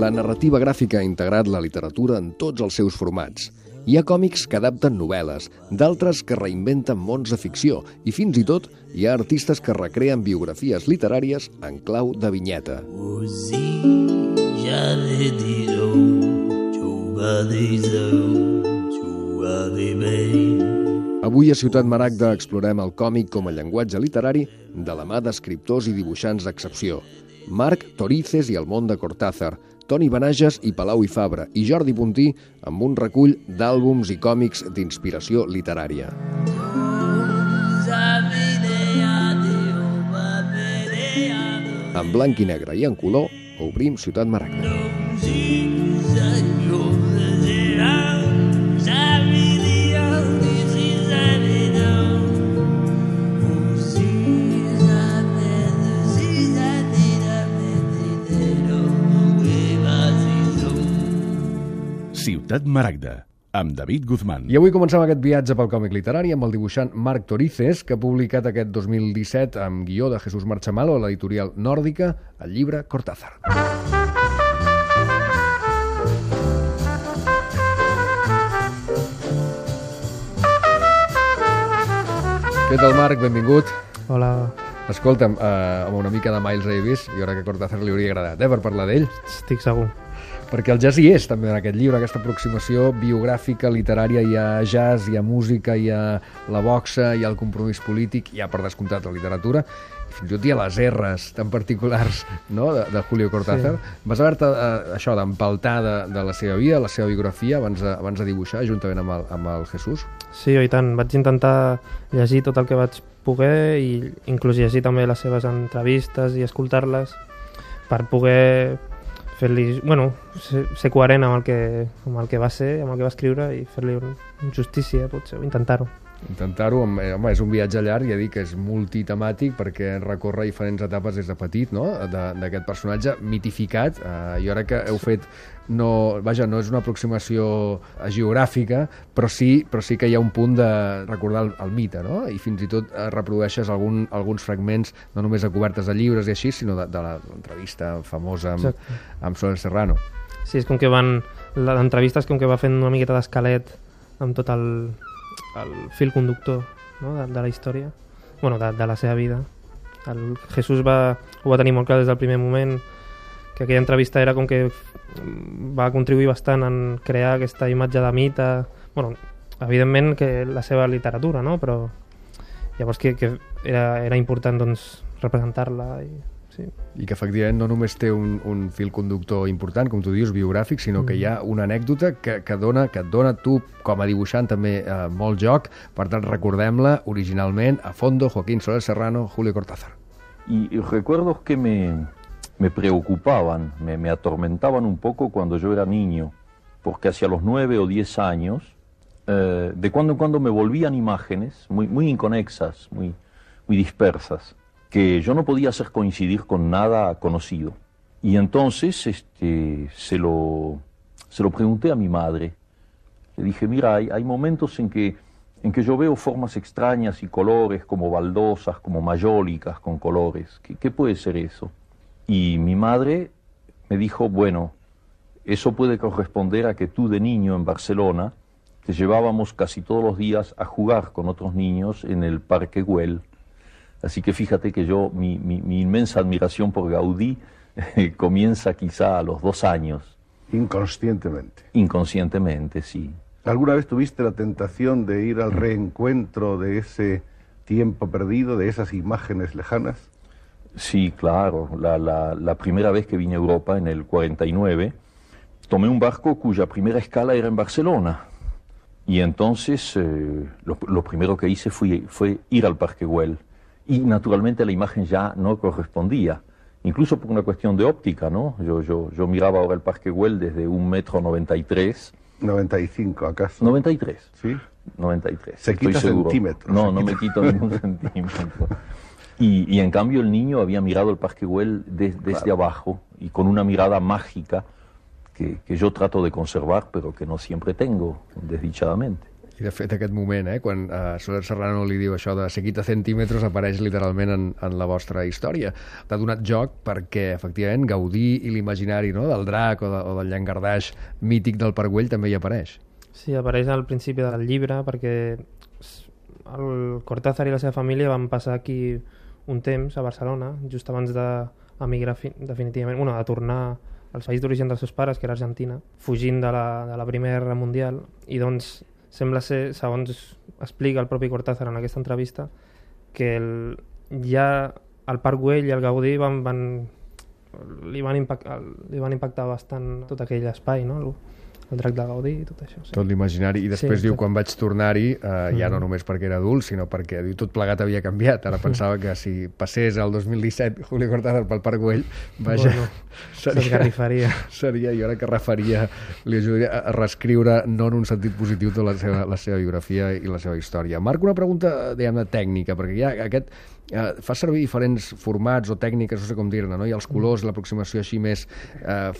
la narrativa gràfica ha integrat la literatura en tots els seus formats. Hi ha còmics que adapten novel·les, d'altres que reinventen mons de ficció i fins i tot hi ha artistes que recreen biografies literàries en clau de vinyeta. Avui a Ciutat Maragda explorem el còmic com a llenguatge literari de la mà d'escriptors i dibuixants d'excepció. Marc Torices i el món de Cortázar, Toni Benages i Palau i Fabra i Jordi Puntí amb un recull d'àlbums i còmics d'inspiració literària. En blanc i negre i en color, obrim Ciutat Maragda. Ciutat Maragda, amb David Guzmán. I avui comencem aquest viatge pel còmic literari amb el dibuixant Marc Torices, que ha publicat aquest 2017 amb guió de Jesús Marchamalo a l'editorial Nòrdica el llibre Cortázar. Què tal, Marc? Benvingut. Hola. Escolta'm, amb una mica de Miles Davis, jo crec que a Cortázar li hauria agradat, per parlar d'ell. Estic segur. Perquè el jazz hi és també en aquest llibre, aquesta aproximació biogràfica, literària. Hi ha jazz, hi ha música, hi ha la boxa, hi ha el compromís polític, hi ha per descomptat la literatura, i fins i tot hi ha les R's tan particulars, no?, de Julio Cortázar. Sí. Vas haver-te això d'empaltar de la seva vida, la seva biografia, abans de dibuixar, juntament amb el Jesús? Sí, i tant. Vaig intentar llegir tot el que vaig poder i inclús llegir també les seves entrevistes i escoltar-les per poder fer-li, ser coherent amb el que va ser, amb el que va escriure i fer-li justícia, potser, o intentar-ho. Intentar-ho, home, és un viatge llarg, ja dic que és multitemàtic perquè recorre diferents etapes des de petit, no?, d'aquest personatge mitificat. Jo crec que heu fet, no és una aproximació geogràfica, però sí que hi ha un punt de recordar el mite, no?, i fins i tot reprodueixes alguns fragments, no només de cobertes de llibres i així, sinó de l'entrevista famosa amb Soler Serrano. Sí, és com que l'entrevista és com que va fent una miqueta d'esquelet amb tot el fil conductor, no?, de la història, de la seva vida. El Jesús ho va tenir molt clar des del primer moment, que aquella entrevista era com que va contribuir bastant en crear aquesta imatge de mite, evidentment que la seva literatura, no?, però llavors que era important, doncs, representar-la. I que efectivament no només té un fil conductor important, com tu dius, biogràfic, sinó que hi ha una anècdota que et dona tu, com a dibuixant, també molt joc. Per tant, recordem-la originalment, a fondo, Joaquín Soler Serrano, Julio Cortázar. Y recuerdos que me preocupaban, me atormentaban un poco cuando yo era niño, porque hacia los 9 o 10 años, de cuando en cuando me volvían imágenes muy inconexas, muy dispersas, que yo no podía hacer coincidir con nada conocido. Y entonces se lo pregunté a mi madre. Le dije, mira, hay momentos en que yo veo formas extrañas y colores como baldosas, como mayólicas con colores. ¿Qué puede ser eso? Y mi madre me dijo, bueno, eso puede corresponder a que tú de niño en Barcelona te llevábamos casi todos los días a jugar con otros niños en el Parque Güell. Así que fíjate que mi inmensa admiración por Gaudí comienza quizá a los 2 años. Inconscientemente. Inconscientemente, sí. ¿Alguna vez tuviste la tentación de ir al reencuentro de ese tiempo perdido, de esas imágenes lejanas? Sí, claro. La primera vez que vine a Europa, en el 49, tomé un barco cuya primera escala era en Barcelona. Y entonces lo primero que hice fue ir al Parque Güell. Y naturalmente la imagen ya no correspondía, incluso por una cuestión de óptica, ¿no? Yo miraba ahora el Parque Güell desde 1,93 m. 95, ¿acaso? 93. ¿Sí? 93. Se quita centímetros. No me quito ningún centímetro. Y en cambio el niño había mirado el Parque Güell desde abajo y con una mirada mágica que yo trato de conservar, pero que no siempre tengo, desdichadamente. I de fet aquest moment, quan Soler Serrano li diu això de seguit a centímetres, apareix literalment en la vostra història. T'ha donat joc perquè efectivament Gaudí i l'imaginari, no?, del drac o del llangardaix mític del Parc Güell també hi apareix. Sí, apareix al principi del llibre perquè el Cortázar i la seva família van passar aquí un temps a Barcelona, just abans d'emigrar definitivament, de tornar al país d'origen dels seus pares, que era Argentina, fugint de la Primera Guerra Mundial, i doncs sembla ser, segons explica el propi Cortázar en aquesta entrevista, que ja el Parc Güell i el Gaudí li van impactar bastant tot aquell espai, no? El drac de Gaudí i tot això. Sí. Tot l'imaginari. I després diu, quan vaig tornar-hi, ja no només perquè era adult, sinó perquè tot plegat havia canviat. Ara pensava que si passés el 2017 Julio Cortázar pel Parc Güell, vaja, s'esgarrifaria. Seria, jo ara que refaria, li ajudaria a reescriure, no en un sentit positiu, tota la seva biografia i la seva història. Marc, una pregunta, diguem-ne, tècnica, perquè ja aquest fa servir diferents formats o tècniques, no sé com dir-ne, no? Hi ha els colors, l'aproximació així més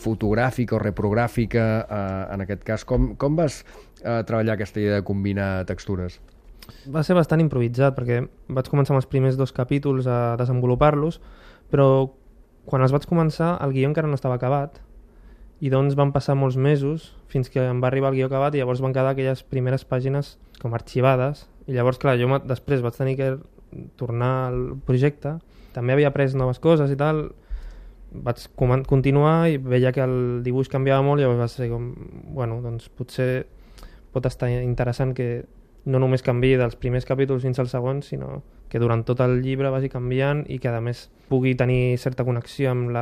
fotogràfica o reprogràfica, en aquest cas. Com vas treballar aquesta idea de combinar textures? Va ser bastant improvisat, perquè vaig començar amb els primers 2 capítols a desenvolupar-los, però quan els vaig començar el guió encara no estava acabat, i doncs van passar molts mesos fins que em va arribar el guió acabat, i llavors van quedar aquelles primeres pàgines com arxivades, i llavors, clar, jo després vaig tenir que tornar al projecte, també havia après noves coses i tal, vaig continuar i veia que el dibuix canviava molt, i llavors va ser com, doncs potser pot estar interessant que no només canviï dels primers capítols fins als segons, sinó que durant tot el llibre vagi canviant i que a més pugui tenir certa connexió amb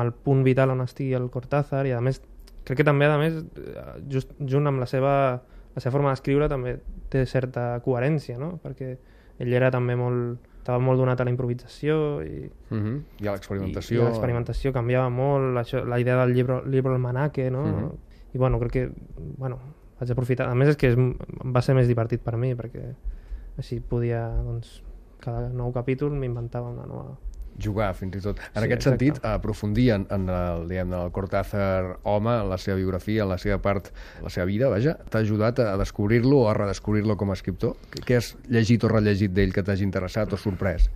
el punt vital on estigui el Cortázar, i a més crec que també just junt amb la seva forma d'escriure també té certa coherència, no? Perquè ell era també estava molt donat a la improvisació i a l'experimentació. I l'experimentació canviava molt, la idea del llibre almanaque, no? I crec que vaig aprofitar. A més, és que va ser més divertit per mi, perquè així podia, cada nou capítol m'inventava una nova... Jugar, fins i tot. En aquest sentit, aprofundir en el Cortázar home, en la seva biografia, en la seva part, la seva vida, vaja, t'ha ajudat a descobrir-lo o a redescobrir-lo com a escriptor? Què has llegit o rellegit d'ell que t'hagi interessat o sorprès?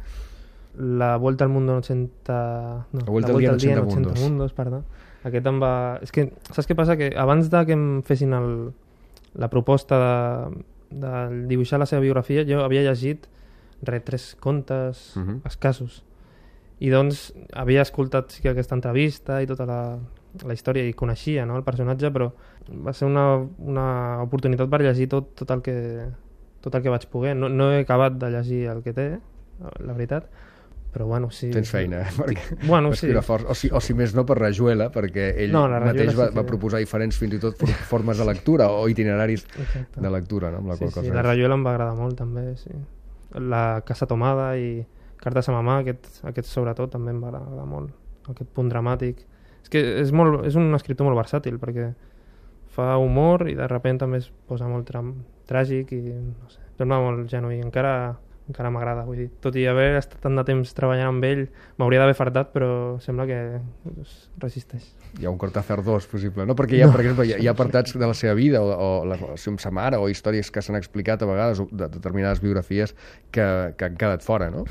La Vuelta al Mundo en 80... La Vuelta al Día en 80 Mundos. Perdó. Aquest em va... És que, saps què passa? Que abans que em fessin la proposta de dibuixar la seva biografia, jo havia llegit 3 contes escassos. I doncs havia escoltat aquesta entrevista i tota la història i coneixia, no, el personatge, però va ser una oportunitat per llegir tot el que vaig poder. No he acabat de llegir el que té, la veritat, però sí... Tens feina, perquè sí. O si més no per Rayuela, perquè ell mateix va proposar diferents, fins i tot, formes de lectura o itineraris de lectura, no? Amb la qual cosa. Sí, la Rayuela em va agradar molt, també, sí. La Casa Tomada i Cartes a mamà, aquest sobretot també em va agradar molt, aquest punt dramàtic. És que és un escriptor molt versàtil, perquè fa humor i de sobte també es posa molt tràgic i no sé, sembla molt genuí, encara m'agrada, vull dir, tot i haver estat tant de temps treballant amb ell, m'hauria d'haver fartat, però sembla que resisteix. Hi ha un Cortázar 2, possible, no? Perquè per exemple, hi ha apartats de la seva vida o sa mare o històries que s'han explicat a vegades de determinades biografies que han quedat fora, no?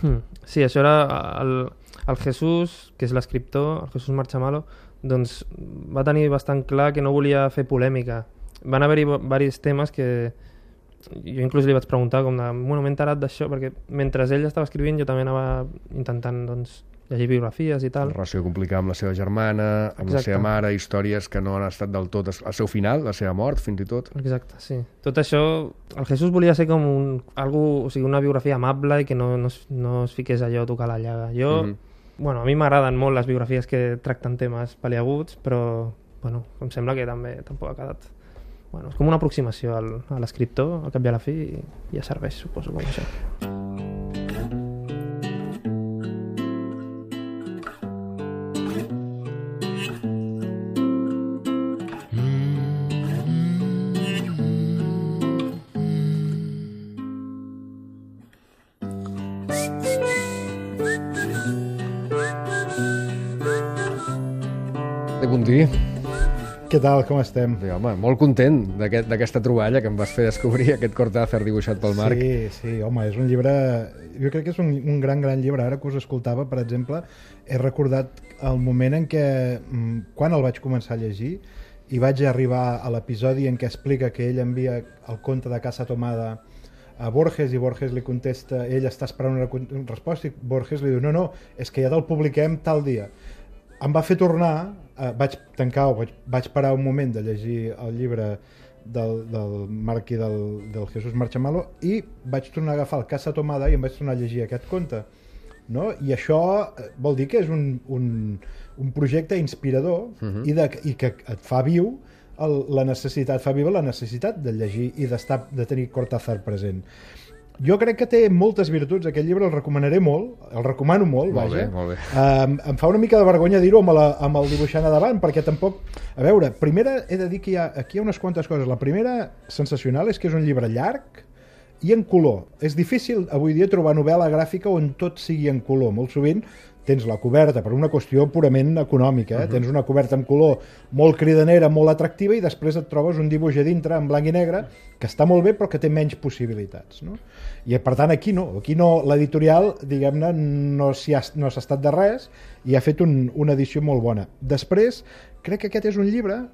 Sí, això era el Jesús, que és l'escriptor, el Jesús Marchamalo, doncs va tenir bastant clar que no volia fer polèmica. Van haver-hi diversos temes que jo inclús li vaig preguntar m'he enterat d'això, perquè mentre ell estava escrivint jo també anava intentant llegir biografies i tal. La relació complicada amb la seva germana, amb la seva mare, històries que no han estat del tot al seu final, la seva mort, fins i tot. Exacte, sí. Tot això, el Jesús volia ser com una biografia amable i que no es fiqués allò a tocar la llaga. A mi m'agraden molt les biografies que tracten temes paliaguts, però em sembla que també tampoc ha quedat... és com una aproximació a l'escriptor, al cap i a la fi, i ja serveix, suposo, com això. De Gundí, què tal, com estem? Sí, home, molt content d'aquesta troballa que em vas fer descobrir aquest Cortázar dibuixat pel Marc. Sí, home, és un llibre... Jo crec que és un gran llibre. Ara que us escoltava, per exemple, he recordat el moment en què, quan el vaig començar a llegir, i vaig arribar a l'episodi en què explica que ell envia el conte de Casa Tomada a Borges i Borges li contesta, ell està esperant una resposta i Borges li diu, no, és que ja te'l publiquem tal dia. Em va fer tornar, vaig parar un moment de llegir el llibre del Marc i del Jesús Marchamalo i vaig tornar a agafar el Casa Tomada i em vaig tornar a llegir aquest conte. No? I això vol dir que és un projecte inspirador i que et fa viu la necessitat de llegir i de tenir Cortázar present. Jo crec que té moltes virtuts, aquest llibre el recomanaré molt, el recomano molt, vaja. Molt bé. Em fa una mica de vergonya dir-ho amb el dibuixant a davant, perquè tampoc... A veure, primera he de dir que aquí hi ha unes quantes coses. La primera sensacional és que és un llibre llarg i en color. És difícil avui dia trobar novel·la gràfica on tot sigui en color. Molt sovint tens la coberta per una qüestió purament econòmica, tens una coberta en color molt cridanera, molt atractiva, i després et trobes un dibuix a dintre en blanc i negre que està molt bé però que té menys possibilitats, no? I per tant aquí no, l'editorial, diguem-ne, no s'ha estat de res i ha fet una edició molt bona. Després, crec que aquest és un llibre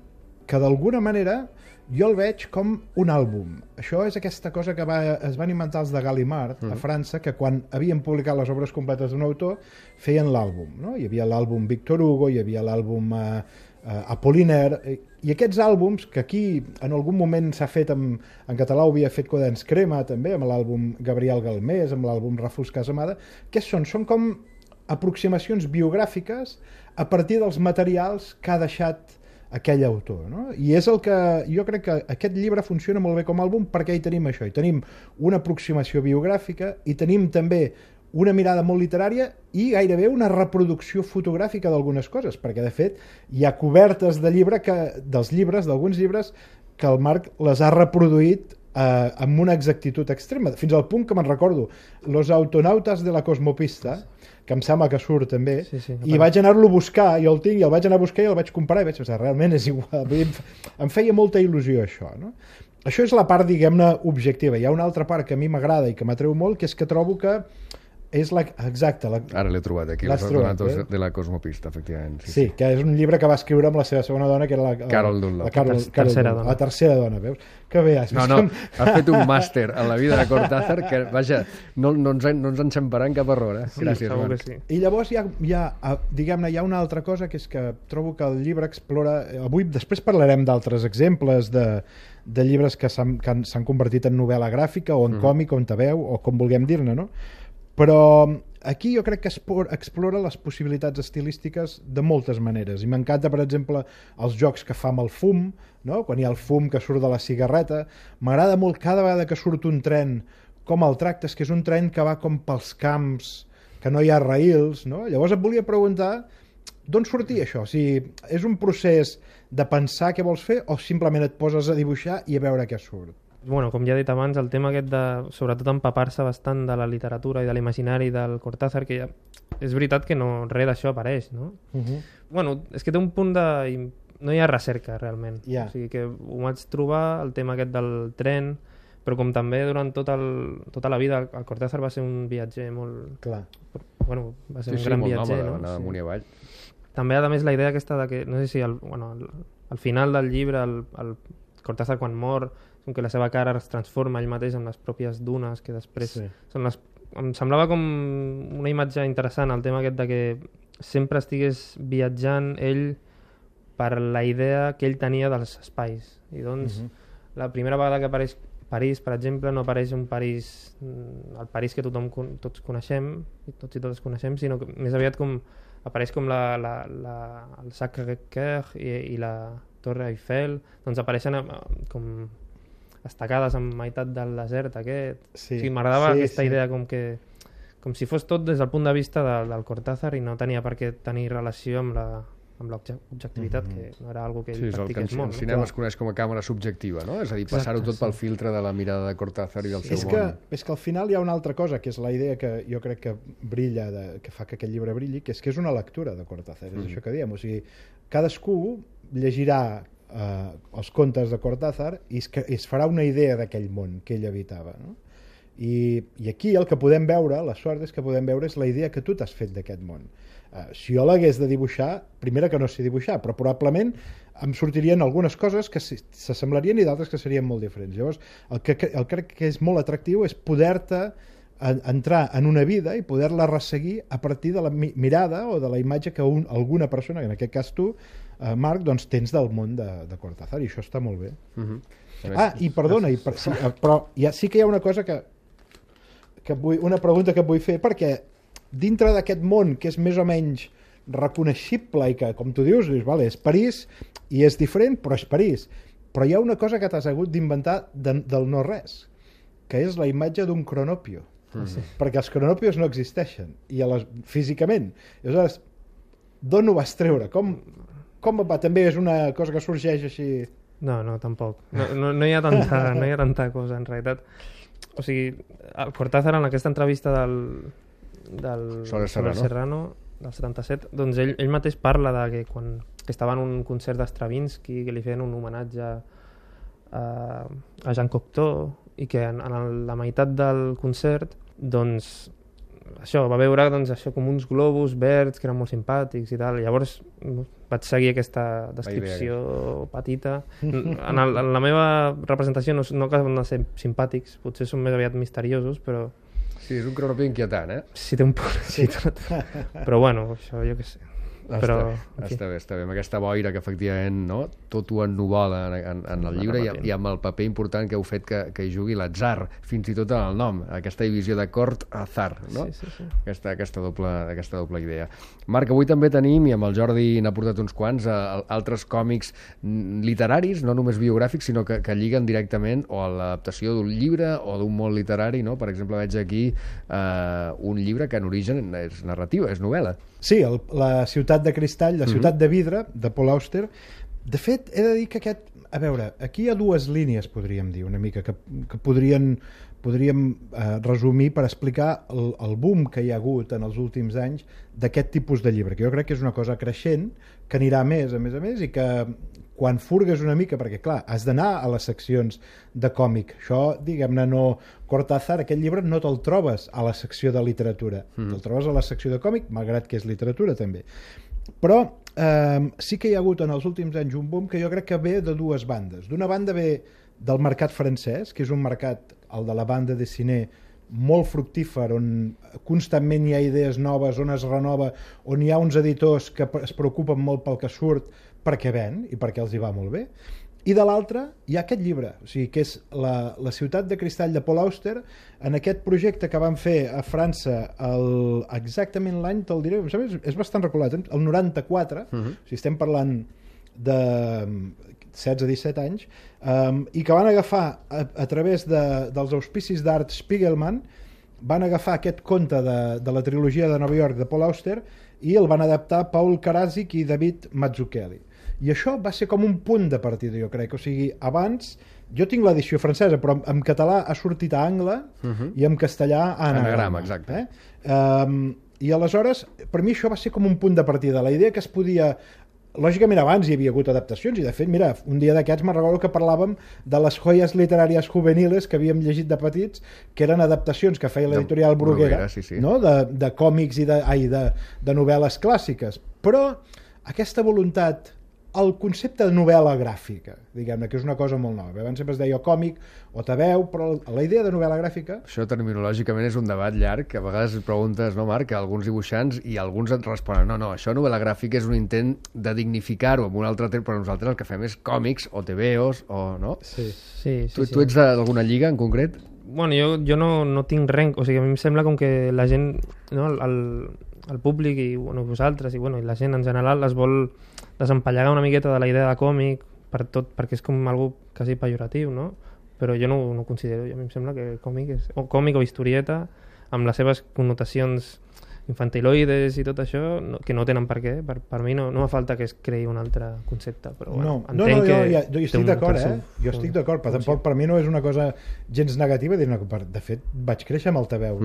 que d'alguna manera jo el veig com un àlbum. Això és aquesta cosa que es van inventar els de Gallimard a França, que quan havien publicat les obres completes d'un autor feien l'àlbum, no? Hi havia l'àlbum Victor Hugo, hi havia l'àlbum Apollinaire, i aquests àlbums, que aquí en algun moment s'ha fet en català, ho havia fet Quaderns Crema també, amb l'àlbum Gabriel Galmés, amb l'àlbum Ràfols Casamada, què són? Són com aproximacions biogràfiques a partir dels materials que ha deixat aquell autor, no? I és el que jo crec que aquest llibre funciona molt bé com a àlbum perquè hi tenim això, hi tenim una aproximació biogràfica i tenim també una mirada molt literària i gairebé una reproducció fotogràfica d'algunes coses, perquè de fet hi ha cobertes de llibre d'alguns llibres que el Marc les ha reproduït amb una exactitud extrema, fins al punt que me'n recordo Los autonautas de la cosmopista, que em sembla que surt també, i vaig anar-lo a buscar, jo el tinc, i el vaig anar a buscar i el vaig comprar i vaig pensar, realment és igual. Em feia molta il·lusió això, no? Això és la part, diguem-ne, objectiva. Hi ha una altra part que a mi m'agrada i que m'atreu molt, que és que trobo que és Ara l'he trobat aquí, Los autonautas de la cosmopista, efectivament. Sí, que és un llibre que va escriure amb la seva segona dona, que era la Carol Dunlop. La tercera dona, veus? Que bé, has vist? No, has fet un màster en la vida de Cortázar que, vaja, no ens enxamparà en cap error, eh? Gràcies, Marc. Sí. I llavors diguem-ne, hi ha una altra cosa, que és que trobo que el llibre explora... Avui, després parlarem d'altres exemples de llibres que s'han convertit en novel·la gràfica o en còmic o en tebeu, o com vulguem dir-ne, no? Però aquí jo crec que explora les possibilitats estilístiques de moltes maneres, i m'encanta, per exemple, els jocs que fa amb el fum, no? Quan hi ha el fum que surt de la cigarreta. M'agrada molt cada vegada que surt un tren com el tractes, que és un tren que va com pels camps, que no hi ha raïls, no? Llavors et volia preguntar d'on sortia això? O sigui, és un procés de pensar què vols fer o simplement et poses a dibuixar i a veure què surt? Bueno, com ja he dit abans, el tema aquest de, sobretot, empapar-se bastant de la literatura i de l'imaginari del Cortázar, que ja és veritat que no res d'això apareix, no? Bueno, és que té un punt de... No hi ha recerca, realment. O sigui que ho vaig trobar, el tema aquest del tren, però com també durant tota la vida el Cortázar va ser un viatger molt... Clar. Bueno, va ser un gran viatger, no? Anar amunt i avall. També, a més, la idea aquesta de que, no sé si al final del llibre, el Cortázar quan mor, com que la seva cara es transforma ell mateix en les pròpies dunes, que després són les... Em semblava com una imatge interessant, el tema aquest de que sempre estigués viatjant ell per la idea que ell tenia dels espais. I doncs, la primera vegada que apareix París, per exemple, no apareix un París, el París que tots coneixem, tots i totes coneixem, sinó que més aviat com apareix com el Sacré-Cœur i la Torre Eiffel, doncs apareixen com estacades en meitat del desert aquest. O sigui, m'agradava aquesta idea com si fos tot des del punt de vista del Cortázar i no tenia per què tenir relació amb l'objectivitat, que no era algo que ell practiqués molt. El cinema es coneix com a càmera subjectiva, no? És a dir, passar-ho tot pel filtre de la mirada de Cortázar i del seu món. És que al final hi ha una altra cosa, que és la idea que jo crec que brilla, que fa que aquest llibre brilli, que és una lectura de Cortázar, és això que diem. O sigui, cadascú llegirà els contes de Cortázar i es farà una idea d'aquell món que ell habitava, no? I aquí el que podem veure, la sort és que podem veure és la idea que tu t'has fet d'aquest món. Si jo l'hagués de dibuixar, primera que no sé dibuixar, però probablement em sortirien algunes coses que s'assemblarien i d'altres que serien molt diferents. Llavors, el que crec que és molt atractiu és poder-te entrar en una vida i poder-la resseguir a partir de la mirada o de la imatge que alguna persona, en aquest cas tu, Marc, doncs tens del món de Cortázar, i això està molt bé. I perdona, però sí que hi ha una cosa una pregunta que et vull fer, perquè dintre d'aquest món que és més o menys reconeixible i que, com tu dius, vale, és París i és diferent, però és París. Però hi ha una cosa que t'has hagut d'inventar del no-res, que és la imatge d'un cronòpio. Perquè els cronopios no existeixen físicament. Aleshores, d'on ho vas treure? Com va? També és una cosa que sorgeix així? No, tampoc. No hi ha tanta cosa, en realitat. O sigui, el Cortázar, en aquesta entrevista del Serrano, del 77, doncs ell mateix parla de que quan estava en un concert d'Stravinsky, que li feien un homenatge a Jean Cocteau, i que en la meitat del concert doncs això, va veure doncs, això com uns globus verds que eren molt simpàtics i tal. Llavors vaig seguir aquesta descripció petita. En la meva representació no acaben de ser simpàtics, potser són més aviat misteriosos, però... Sí, és un cronopi inquietant, eh? Sí, té un punt. Sí. Però bueno, això jo què sé. Està bé, amb aquesta boira que efectivament, no? Tot ho ennuvola en el llibre i amb el paper important que heu fet que hi jugui l'atzar, fins i tot en el nom, aquesta divisió de Cortázar, no? Sí. Aquesta doble idea. Marc, avui també tenim, i amb el Jordi n'ha portat uns quants, altres còmics literaris, no només biogràfics, sinó que lliguen directament o a l'adaptació d'un llibre o d'un món literari, no? Per exemple, veig aquí un llibre que en origen és narrativa, és novel·la. Sí, la ciutat de cristall, la ciutat de vidre, de Paul Auster. De fet, he de dir que a veure, aquí hi ha dues línies, podríem dir, una mica, que podríem resumir per explicar el boom que hi ha hagut en els últims anys d'aquest tipus de llibre, que jo crec que és una cosa creixent, que anirà a més, i que quan furgues una mica, perquè clar, has d'anar a les seccions de còmic. Això, diguem-ne, no... Cortázar, aquest llibre no te'l trobes a la secció de literatura, te'l trobes a la secció de còmic, malgrat que és literatura també. Però sí que hi ha hagut en els últims anys un boom que jo crec que ve de dues bandes. D'una banda ve del mercat francès, que és un mercat, el de la banda de cine, molt fructífer, on constantment hi ha idees noves, on es renova, on hi ha uns editors que es preocupen molt pel que surt perquè ven i perquè els hi va molt bé. I de l'altra hi ha aquest llibre, o sigui, que és la ciutat de cristall de Paul Auster, en aquest projecte que van fer a França exactament l'any, te'l diré, és bastant reculat, el 94, o sigui, estem parlant de 16-17 anys, i que van agafar a través dels auspicis d'Art Spiegelman, van agafar aquest conte de la trilogia de Nova York de Paul Auster i el van adaptar Paul Karadzic i David Mazzucchelli. I això va ser com un punt de partida, jo crec. O sigui, abans, jo tinc l'edició francesa, però en català ha sortit a angle i en castellà a anagrama. Exacte. I aleshores, per mi això va ser com un punt de partida. La idea que es podia... Lògicament abans hi havia hagut adaptacions i de fet, mira, un dia d'aquests me'n recordo que parlàvem de les joies literàries juveniles que havíem llegit de petits, que eren adaptacions que feia l'editorial Bruguera, sí. No? De còmics i de novel·les clàssiques. Però aquesta voluntat, el concepte de novel·la gràfica, diguem-ne, que és una cosa molt nova. Abans sempre es deia còmic o tebeu, però la idea de novel·la gràfica... Això terminològicament és un debat llarg, que a vegades preguntes, no, Marc, a alguns dibuixants i alguns et responen, no, això novel·la gràfica és un intent de dignificar-ho amb un altre temps, però nosaltres el que fem és còmics o tebeos, o no? Sí. Tu ets d'alguna lliga en concret? Bueno, jo no tinc res, o sigui, a mi em sembla com que la gent, no, el públic i bueno, vosaltres i la gent en general es vol desempallegar una miqueta de la idea de còmic perquè és com algo quasi pejoratiu, no? Però jo no ho considero. A mi em sembla que còmic és còmic o historieta amb les seves connotacions infantiloides i tot això, que no tenen per què. Per mi no fa falta que es creï un altre concepte, però bueno, entenc que... Jo estic d'acord, Jo estic d'acord, però tampoc per mi no és una cosa gens negativa. De fet, vaig créixer amb el tebeu.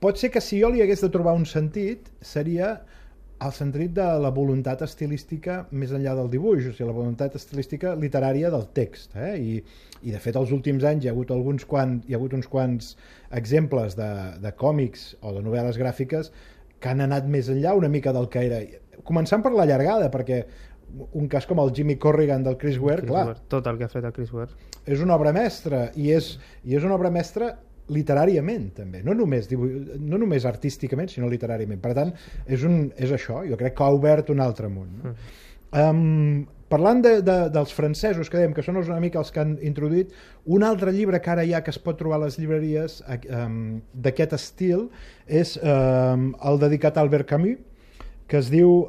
Pot ser que si jo li hagués de trobar un sentit, seria al sentit de la voluntat estilística més enllà del dibuix, o sigui, la voluntat estilística literària del text, I de fet els últims anys hi ha hagut uns quants exemples de còmics o de novel·les gràfiques que han anat més enllà una mica del que era, començant per la llargada, perquè un cas com el Jimmy Corrigan del Chris Ware, clar, tot el que ha fet el Chris Ware és una obra mestra, i és una obra mestra literàriament també, no només artísticament sinó literàriament, per tant és això, jo crec que ha obert un altre món, no? Parlant dels francesos que dèiem que són una mica els que han introduït un altre llibre que ara que es pot trobar a les llibreries d'aquest estil és el dedicat a Albert Camus, que es diu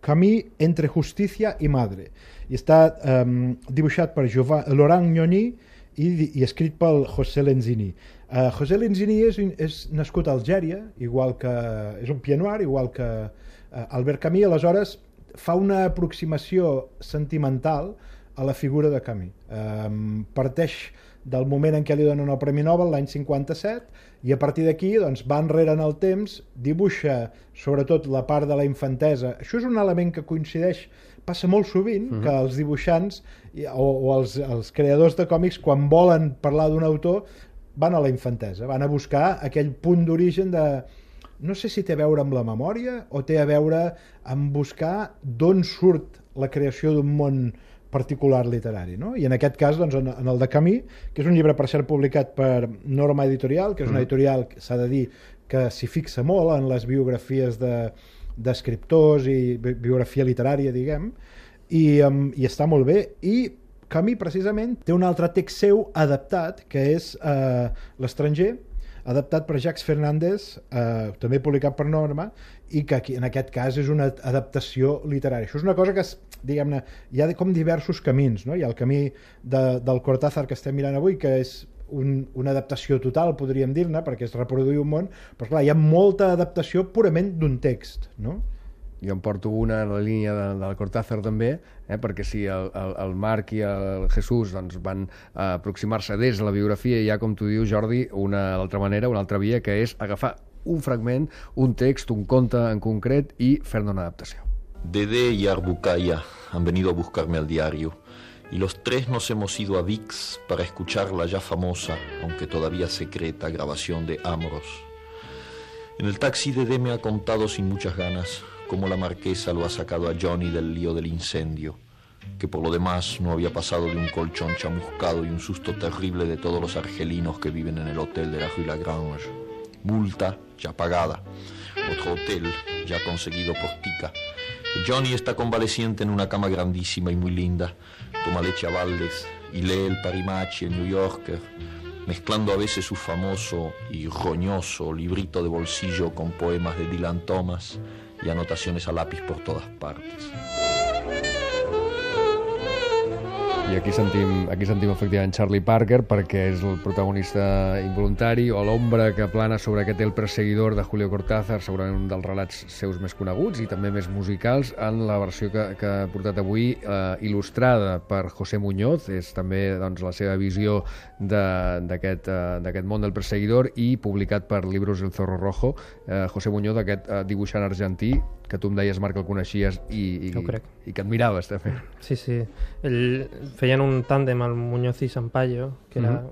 Camus entre justicia i madre, i està dibuixat per Laurent Gnoni i escrit pel José Lenzini. José Lenzini és nascut a Algèria, igual que és un pied noir, igual que Albert Camus, aleshores fa una aproximació sentimental a la figura de Camus. Parteix del moment en què li donen el Premi Nobel, l'any 57, i a partir d'aquí doncs, va enrere en el temps, dibuixa sobretot la part de la infantesa. Això és un element que coincideix, passa molt sovint, que els dibuixants o els creadors de còmics, quan volen parlar d'un autor, van a la infantesa, van a buscar aquell punt d'origen de... No sé si té a veure amb la memòria o té a veure amb buscar d'on surt la creació d'un món particular literari, no? I en aquest cas, doncs, en el de Camus, que és un llibre per ser publicat per Norma Editorial, que és una editorial que s'ha de dir que s'hi fixa molt en les biografies d'escriptors i biografia literària, diguem, i està molt bé. I Camus, precisament, té un altre text seu adaptat, que és L'Estranger, adaptat per Jacques Fernández, també publicat per Norma, i que aquí, en aquest cas és una adaptació literària. Això és una cosa que, diguem-ne, hi ha com diversos camins, no? Hi ha el camí del Cortázar que estem mirant avui, que és una adaptació total, podríem dir-ne, perquè és reproduir un món, però clar, hi ha molta adaptació purament d'un text, no? Jo em porto una en la línia del Cortázar també, perquè si el Marc i el Jesús doncs, van aproximar-se des de la biografia, hi ha, com tu dius, Jordi, una altra manera, una altra via, que és agafar un fragment, un text, un conte en concret i fer-ne una adaptació. Dede y Arbucaya han venido a buscarme al diario y los tres nos hemos ido a VIX para escuchar la ya famosa, aunque todavía secreta, grabación de Amoros. En el taxi Dede me ha contado sin muchas ganas cómo la marquesa lo ha sacado a Johnny del lío del incendio, que por lo demás no había pasado de un colchón chamuscado y un susto terrible de todos los argelinos que viven en el hotel de la Rue Lagrange. Multa ya pagada, otro hotel ya conseguido por Tica. Johnny está convaleciente en una cama grandísima y muy linda, toma leche a baldes y lee el Parimachi, el New Yorker, mezclando a veces su famoso y roñoso librito de bolsillo con poemas de Dylan Thomas y anotaciones a lápiz por todas partes. I aquí sentim efectivament Charlie Parker, perquè és el protagonista involuntari o l'ombra que plana sobre aquest El perseguidor de Julio Cortázar, segurament un dels relats seus més coneguts i també més musicals, en la versió que ha portat avui, il·lustrada per José Muñoz. És també doncs, la seva visió d'aquest món del perseguidor, i publicat per Libros del Zorro Rojo. José Muñoz, aquest dibuixant argentí que tu em deies, Marc, el coneixies i que admiraves també. Sí, sí. Feien un tàndem, el Muñoz i Sampaio, que era,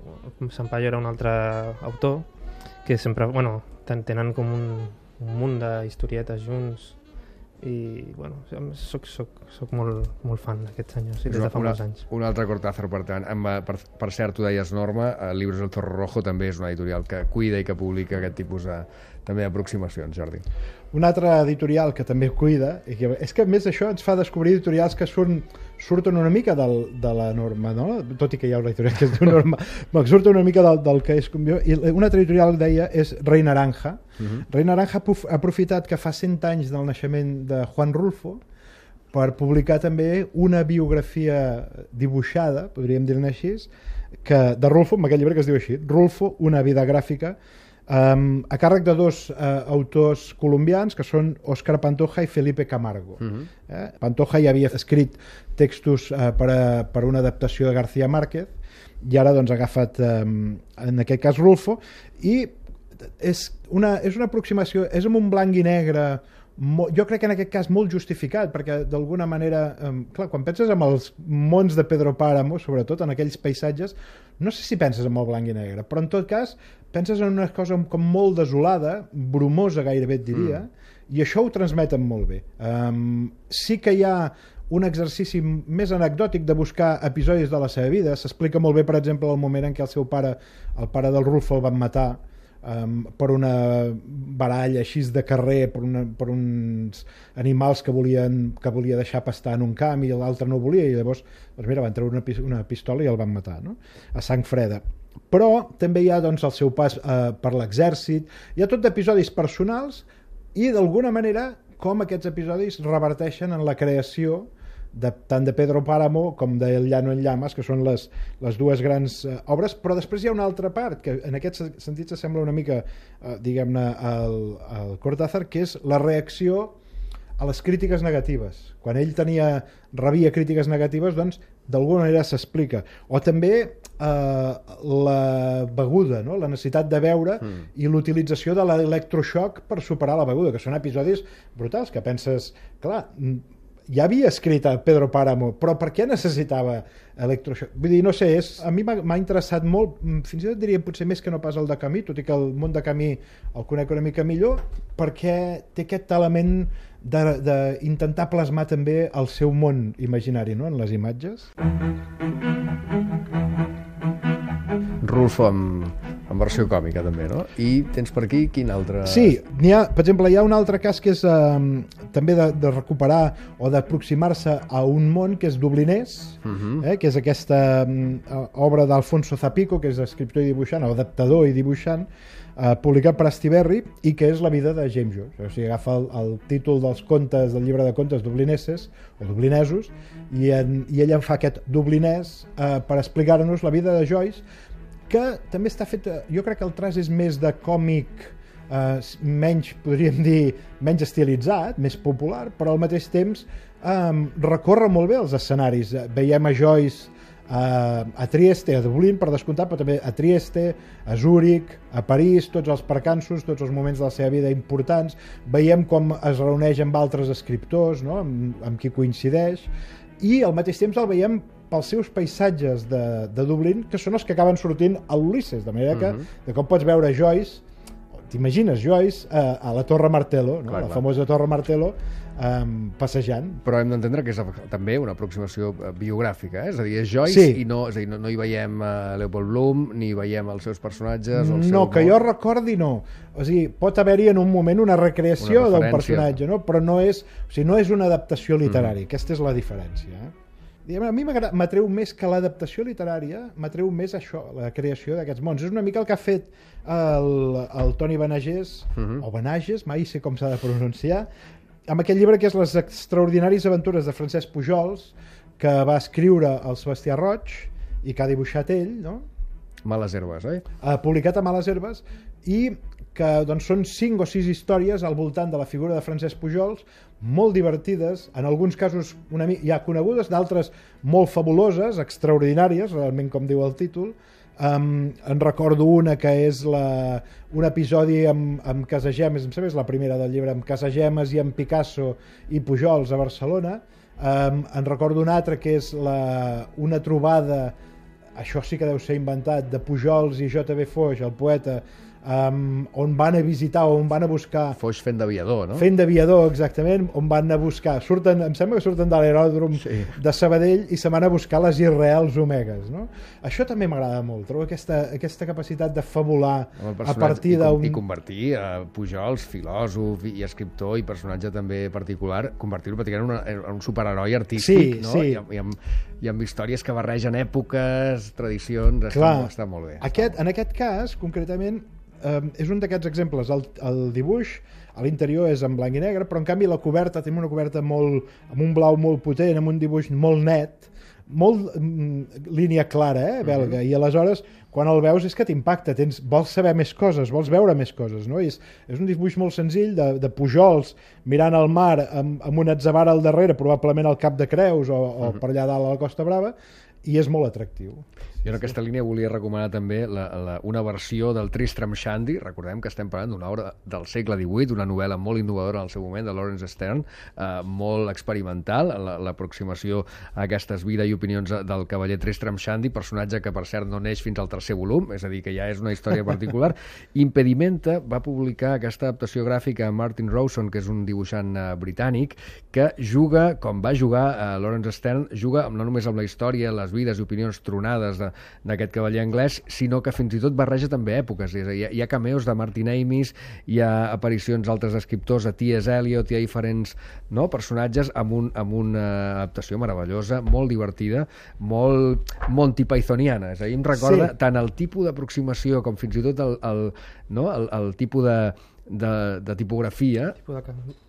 Sampaio era un altre autor, que sempre, bueno, tenen com un munt d'historietes junts, i, bueno, soc molt fan d'aquest senyor, sí, des de fa molts anys. Un altre Cortázar, per tant. Per cert, tu deies, Norma, Libros del Zorro Rojo també és una editorial que cuida i que publica aquest tipus també d'aproximacions, Jordi. Una altra editorial que també cuida, i que, és que a més això ens fa descobrir editorials que surten una mica de la norma, no? Tot i que hi ha una editorial que es diu Norma, surten una mica del que és com jo. I una altra editorial que deia és Rei Naranja. Rei Naranja ha aprofitat que fa 100 anys del naixement de Juan Rulfo per publicar també una biografia dibuixada, podríem dir-ne així, de Rulfo, amb aquest llibre que es diu així, Rulfo, una vida gràfica, a càrrec de dos autors colombians, que són Óscar Pantoja i Felipe Camargo. Pantoja ja havia escrit textos per una adaptació de García Márquez, i ara doncs, ha agafat, en aquest cas, Rulfo, i és una aproximació, és amb un blanc i negre, jo crec que en aquest cas molt justificat, perquè d'alguna manera, clar, quan penses en els mons de Pedro Páramo, sobretot en aquells paisatges, no sé si penses en el blanc i negre, però en tot cas penses en una cosa com molt desolada, brumosa gairebé et diria, i això ho transmeten molt bé. Sí que hi ha un exercici més anecdòtic de buscar episodis de la seva vida. S'explica molt bé, per exemple, el moment en què el seu pare, el pare del Rulfo, el van matar per una baralla així de carrer, per uns animals que volia deixar pastar en un camp i l'altre no volia, i llavors doncs mira, van treure una pistola i el van matar, no? A sang freda. Però també hi ha doncs, el seu pas per l'exèrcit, hi ha tot d'episodis personals i d'alguna manera com aquests episodis reverteixen en la creació tant de Pedro Páramo com de El Llano en Llamas, que són les dues grans obres, però després hi ha una altra part que en aquest sentit s'assembla una mica diguem-ne al Cortázar, que és la reacció a les crítiques negatives. Quan ell rebia crítiques negatives, doncs d'alguna manera s'explica. O també la beguda, no? La necessitat de beure i l'utilització de l'electroshock per superar la beguda, que són episodis brutals, que penses, clar, ja havia escrit a Pedro Páramo, però per què necessitava electroshock? Vull dir, no sé, a mi m'ha interessat molt, fins i tot diria potser més que no pas el de Camus, tot i que el món de Camus el conec una mica millor, perquè té aquest element d'intentar plasmar també el seu món imaginari, no?, en les imatges. Rulfo en versió còmica també, no? I tens per aquí quin altre... Sí, per exemple, hi ha un altre cas que és també de recuperar o d'aproximar-se a un món que és Dublinès, que és aquesta obra d'Alfonso Zapico, que és escriptor i dibuixant, o adaptador i dibuixant, publicat per Astiberri, i que és la vida de James Joyce. O sigui, agafa el títol dels contes, del llibre de contes dublineses, o dublinesos, i ell en fa aquest dublinès per explicar-nos la vida de Joyce, que també està fet, jo crec que el traç és més de còmic, menys, podríem dir, menys estilitzat, més popular, però al mateix temps recorre molt bé els escenaris. Veiem a Joyce a Trieste, a Dublín, per descomptar, però també a Trieste, a Zúrich, a París, tots els percanços, tots els moments de la seva vida importants. Veiem com es reuneix amb altres escriptors, no?, amb qui coincideix, i al mateix temps el veiem pels seus paisatges de Dublín, que són els que acaben sortint a l'Ulisses, de manera que de com pots veure Joyce, t'imagines Joyce a la Torre Martello, no? La famosa Torre Martello, passejant. Però hem d'entendre que és també una aproximació biogràfica, és a dir, és Joyce, i no hi veiem Leopold Bloom, ni hi veiem els seus personatges... No, que jo recordi no. O sigui, pot haver-hi en un moment una recreació d'un personatge, no? Però no és una adaptació literària. Aquesta és la diferència. A mi m'atreu més que l'adaptació literària, m'atreu més això, la creació d'aquests mons. És una mica el que ha fet el Toni Benagés, o Benages, mai sé com s'ha de pronunciar, amb aquest llibre que és Les extraordinàries aventures de Francesc Pujols, que va escriure el Sebastià Roig i que ha dibuixat ell, no? Males herbes, oi? Publicat a Males herbes, i que doncs, són 5 o 6 històries al voltant de la figura de Francesc Pujols, molt divertides, en alguns casos ja conegudes, d'altres molt fabuloses, extraordinàries, realment com diu el títol. En recordo una que és un episodi amb Casagemes, em sembla que és la primera del llibre, amb Casagemes i amb Picasso i Pujols a Barcelona. En recordo una altra que és una trobada, això sí que deu ser inventat, de Pujols i J.B. Foix, el poeta, on van a visitar o on van a buscar... Foix fent d'aviador, no? Fent d'aviador, exactament, on van a buscar... em sembla que surten de l'aeròdrom de Sabadell i se van a buscar les irreals omegues, no? Això també m'agrada molt, trobo aquesta capacitat de fabular a partir d'un... I convertir Pujols, filòsof i escriptor i personatge també particular, convertir-lo pràcticament en un superheroi artístic, no? I amb històries que barregen èpoques, tradicions, està molt bé. En aquest cas, concretament, és un d'aquests exemples. El dibuix a l'interior és en blanc i negre, però en canvi la coberta té una coberta amb un blau molt potent, amb un dibuix molt net, molt línia clara, belga, i aleshores quan el veus és que t'impacta, vols saber més coses, vols veure més coses, no? És un dibuix molt senzill de Pujols mirant el mar amb un atzavara al darrere, probablement al Cap de Creus o per allà dalt a la Costa Brava, i és molt atractiu. Jo en aquesta línia volia recomanar també una versió del Tristram Shandy. Recordem que estem parlant d'una obra del segle XVIII, una novel·la molt innovadora en el seu moment, de Lawrence Stern, molt experimental, l'aproximació a aquestes vides i opinions del cavaller Tristram Shandy, personatge que per cert no neix fins al 3è volum, és a dir, que ja és una història particular. Impedimenta va publicar aquesta adaptació gràfica a Martin Rowson, que és un dibuixant britànic, que juga, com va jugar Lawrence Stern, juga no només amb la història, les vides i opinions tronades d'aquest cavaller anglès, sinó que fins i tot barreja també èpoques. Hi ha cameos de Martin Amis, hi ha aparicions d'altres escriptors, a T.S. Eliot, hi ha diferents personatges amb una adaptació meravellosa, molt divertida, molt Monty Pythoniana. És a dir, em recorda tant el tipus d'aproximació com fins i tot el tipus de tipografia.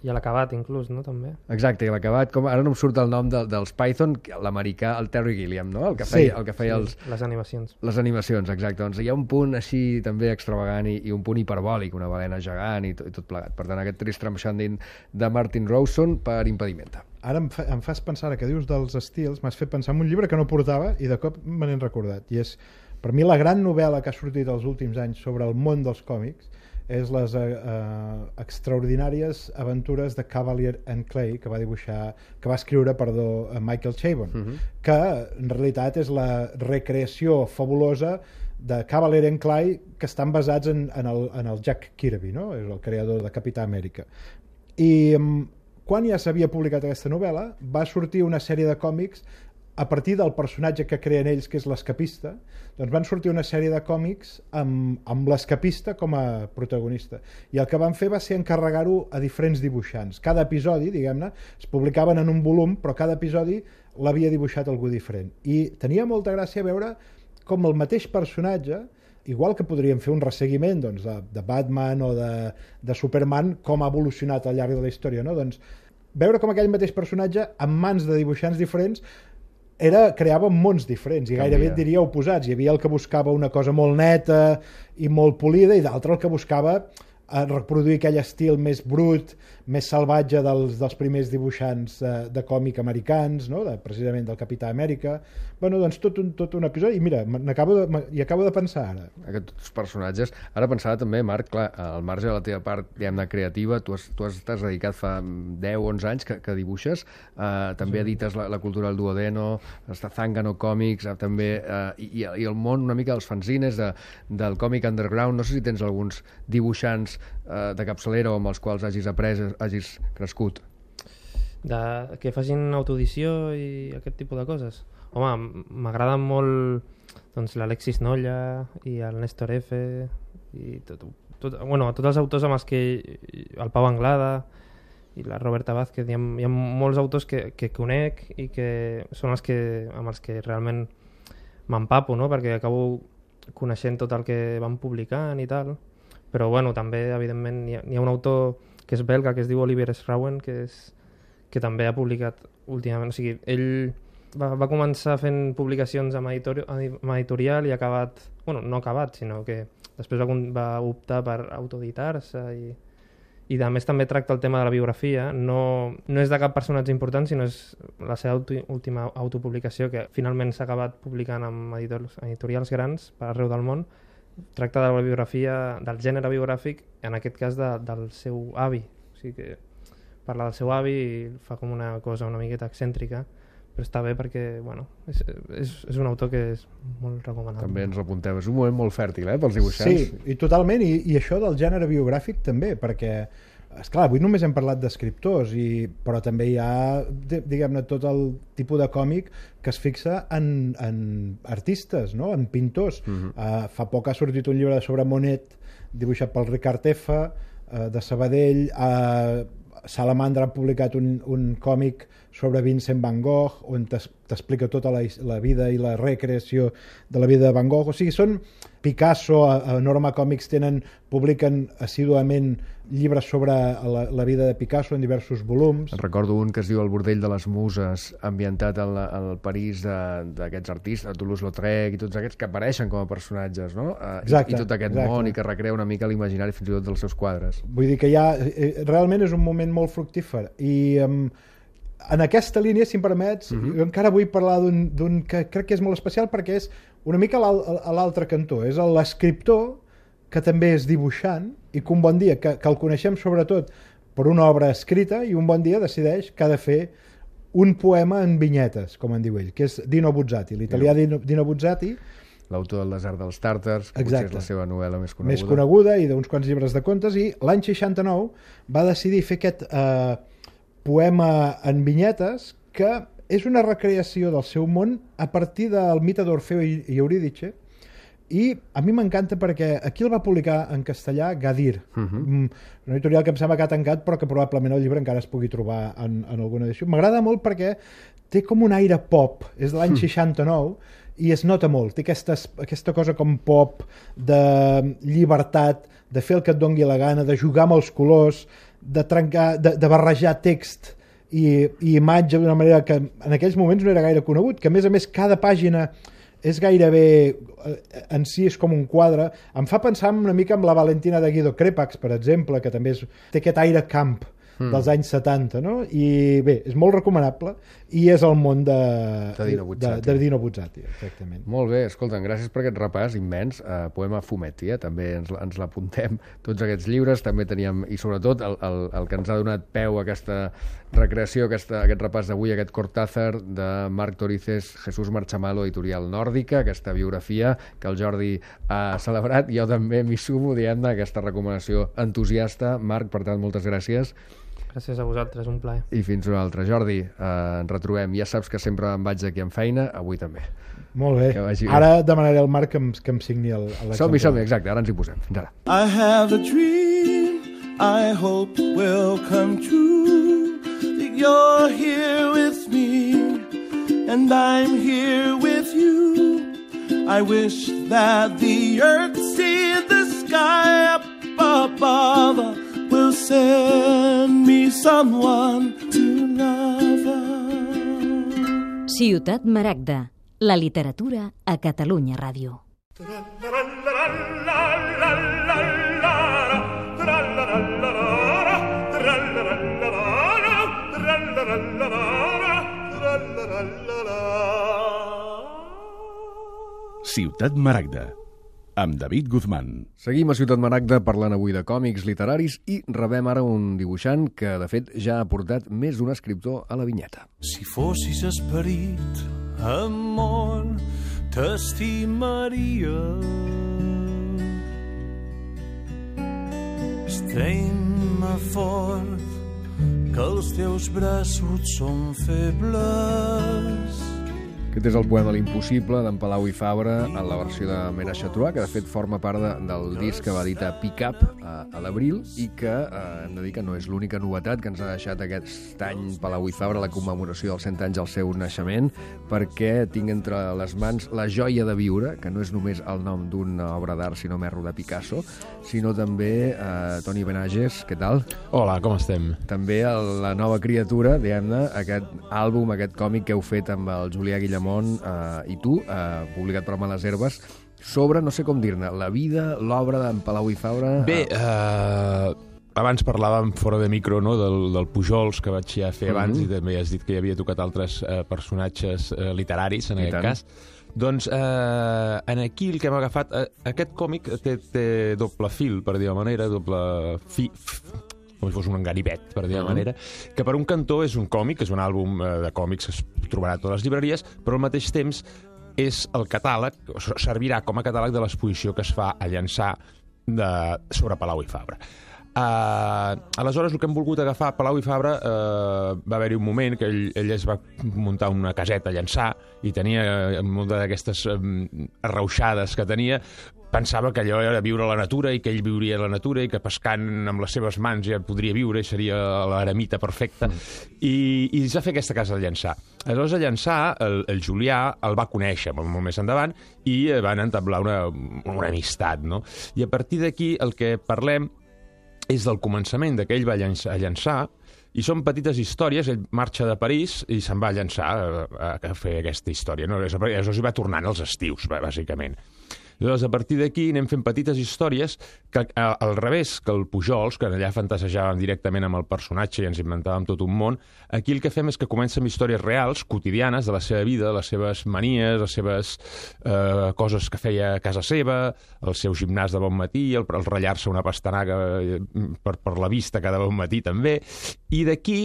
I l'acabat, inclús, no? També. Exacte, i l'acabat, com ara no em surt el nom dels Python, l'americà, el Terry Gilliam, no? El que feia les animacions. Les animacions, exacte. Doncs hi ha un punt així també extravagant i un punt hiperbòlic, una balena gegant i tot plegat. Per tant, aquest Tristram Shandy de Martin Rowson per Impedimenta. Ara em fas pensar, que dius dels estils, m'has fet pensar en un llibre que no portava i de cop me n'he recordat. I és, per mi, la gran novel·la que ha sortit els últims anys sobre el món dels còmics és les extraordinàries aventures de Cavalier and Clay que va escriure Michael Chabon, que en realitat és la recreació fabulosa de Cavalier and Clay, que estan basats en el Jack Kirby, no? És el creador de Capità Amèrica. I quan ja s'havia publicat aquesta novel·la, va sortir una sèrie de còmics a partir del personatge que creen ells, que és l'escapista. Doncs van sortir una sèrie de còmics amb l'escapista com a protagonista. I el que van fer va ser encarregar-ho a diferents dibuixants. Cada episodi, diguem-ne, es publicaven en un volum, però cada episodi l'havia dibuixat algú diferent. I tenia molta gràcia veure com el mateix personatge, igual que podríem fer un resseguiment de Batman o de Superman, com ha evolucionat al llarg de la història, no? Doncs veure com aquell mateix personatge, en mans de dibuixants diferents, creava mons diferents i gairebé et diria oposats. Hi havia el que buscava una cosa molt neta i molt polida i d'altre el que buscava reproduir aquell estil més brut, més salvatge dels primers dibuixants de còmic americans, no? Precisament del Capità Amèrica. Bueno, doncs tot un episodi. I mira, acabo de pensar ara. Aquests personatges. Ara pensava també, Marc, clar, al marge de la teva part, diguem-ne, creativa, tu t'has dedicat fa 10-11 anys que dibuixes, també edites la cultura del Duodeno, està Zángano Comics, també, i el món una mica dels fanzines, del còmic underground. No sé si tens alguns dibuixants de capçalera o amb els quals hagis crescut. Que facin autoedició i aquest tipus de coses. Home, m'agraden molt l'Alexis Nolla i el Néstor F i tots els autors amb els que el Pau Anglada i la Roberta Vázquez, hi ha molts autors que conec i que són amb els que realment m'empapo, no? Perquè acabo coneixent tot el que van publicant i tal. Però bueno, també evidentment hi ha un autor que és belga, que es diu Olivier Schrauen, que també ha publicat últimament. O sigui, ell va començar fent publicacions amb editorial i ha acabat, bueno, no ha acabat, sinó que després va optar per autoeditar-se i a més també tracta el tema de la biografia. No és de cap personatge important, sinó és la seva última autopublicació, que finalment s'ha acabat publicant amb editorials grans per arreu del món. Tracta de la biografia, del gènere biogràfic, en aquest cas del seu avi. O sigui que parla del seu avi i fa com una cosa una miqueta excèntrica, però està bé perquè, bueno, és un autor que és molt recomanable. També ens l'apuntem. És un moment molt fèrtil, pels dibuixants. Sí, i totalment, i això del gènere biogràfic també, perquè esclar, avui només hem parlat d'escriptors, però també hi ha, diguem-ne, tot el tipus de còmic que es fixa en artistes, no? En pintors. Fa poc ha sortit un llibre sobre Monet, dibuixat pel Ricard F, de Sabadell. Salamandra ha publicat un còmic sobre Vincent van Gogh, on t'explica tota la vida i la recreació de la vida de Van Gogh. O sigui, són Picasso, a Norma Còmics publiquen assíduament llibres sobre la vida de Picasso en diversos volums. Recordo un que es diu El bordell de les muses, ambientat al París d'aquests artistes, Toulouse-Lautrec i tots aquests que apareixen com a personatges, no? Exacte, I tot aquest món i que recrea una mica l'imaginari fins i tot dels seus quadres. Vull dir que realment és un moment molt fructífer i en aquesta línia, si em permets, jo encara vull parlar d'un que crec que és molt especial perquè és una mica a l'altre cantó. És l'escriptor que també és dibuixant i que un bon dia, que el coneixem sobretot per una obra escrita, i un bon dia decideix que ha de fer un poema en vinyetes, com en diu ell, que és Dino Buzzati, l'italià Dino Buzzati. L'autor del Desert dels Tàrtars, que potser és la seva novel·la més coneguda. Més coneguda, i d'uns quants llibres de contes, i l'any 69 va decidir fer aquest poema en vinyetes, que és una recreació del seu món a partir del mite d'Orfeo i Eurídice, i a mi m'encanta perquè aquí el va publicar en castellà Gadir, una editorial que em sembla que ha tancat, però que probablement el llibre encara es pugui trobar en alguna edició. M'agrada molt perquè té com un aire pop, és de l'any 69, i es nota molt, té aquesta cosa com pop, de llibertat, de fer el que et dongui la gana, de jugar amb els colors, de trencar, de barrejar text i imatge d'una manera que en aquells moments no era gaire conegut, que a més cada pàgina és gairebé, en si és com un quadre. Em fa pensar una mica en la Valentina de Guido Crepax, per exemple, que també té aquest aire camp dels anys 70, no? I bé, és molt recomanable, i és el món de Dino Buzzati, exactament. Molt bé, escolta, gràcies per aquest repàs immens. Poema Fumetti, també ens l'apuntem, tots aquests llibres. També teníem, i sobretot el que ens ha donat peu a aquesta recreació, aquest repàs d'avui, aquest Cortázar de Marc Torices, Jesús Marchamalo, editorial Nòrdica, aquesta biografia que el Jordi ha celebrat. Jo també m'hi sumo, diguem-ne, aquesta recomanació entusiasta. Marc, per tant, moltes gràcies. Gràcies a vosaltres, un plaer. I fins una altra. Jordi, ens retrobem. Ja saps que sempre em vaig aquí amb feina, avui també. Molt bé. Ara demanaré al Marc que em signi l'exemple. Som-hi, exacte, ara ens hi posem. Fins ara. I have a dream I hope will come true, that you're here with me and I'm here with you. I wish that the earth see the sky up above will send me someone to love. Ciutat Maragda, la literatura a Catalunya Ràdio. Ciutat Maragda, amb David Guzmán. Seguim a Ciutat Maragda parlant avui de còmics literaris i rebem ara un dibuixant que, de fet, ja ha portat més d'un escriptor a la vinyeta. Si fossis esperit, amor, t'estimaria. Estreny-me fort, que els teus braços són febles. Aquest és el poema L'impossible d'en Palau i Fabra en la versió de Mena Chatrois, que de fet forma part del disc que va editar Pick Up a l'abril i que hem de dir que no és l'única novetat que ens ha deixat aquest any Palau i Fabra, la commemoració dels 100 anys del seu naixement, perquè tinc entre les mans La joia de viure, que no és només el nom d'una obra d'art sinó merro de Picasso, sinó també Toni Benages, què tal? Hola, com estem? També la nova criatura, diguem-ne, aquest àlbum, aquest còmic que heu fet amb el Julià Guillamont i tu, publicat per Males Herbes, sobre, no sé com dir-ne, la vida, l'obra d'en Palau i Fabra. Bé, abans parlàvem fora de micro, no?, del Pujols, que vaig ja fer abans, i també has dit que hi havia tocat altres personatges literaris, en aquest cas. Doncs aquí el que hem agafat, aquest còmic té doble fil, per dir-ho manera, doble com si fos un ganivet, per dir-ho manera, que per un cantó és un còmic, és un àlbum de còmics que es trobarà a totes les llibreries, però al mateix temps és el catàleg, servirà com a catàleg de l'exposició que es fa a Llançà sobre Palau i Fabra. Aleshores, el que hem volgut agafar, Palau i Fabra, va haver-hi un moment que ell es va muntar una caseta a Llançà i tenia molta d'aquestes arrauxades que tenia. Pensava que allò era viure a la natura i que ell viuria a la natura i que pescant amb les seves mans ja podria viure i seria l'eremita perfecta. I es va fer aquesta casa a Llançà. Aleshores, a Llançà, el Julià el va conèixer molt més endavant i van entablar una amistat, no? I a partir d'aquí el que parlem és del començament que ell va a Llançà, i són petites històries. Ell marxa de París i se'n va a Llançà a fer aquesta història. No? Aleshores hi va tornant als estius, bàsicament. Llavors, a partir d'aquí anem fent petites històries que, al revés que el Pujols, que allà fantasejàvem directament amb el personatge i ens inventàvem tot un món, aquí el que fem és que comencem històries reals, quotidianes, de la seva vida, les seves manies, les seves coses que feia a casa seva, el seu gimnàs de bon matí, el ratllar-se una pastanaga per la vista cada bon matí també, i d'aquí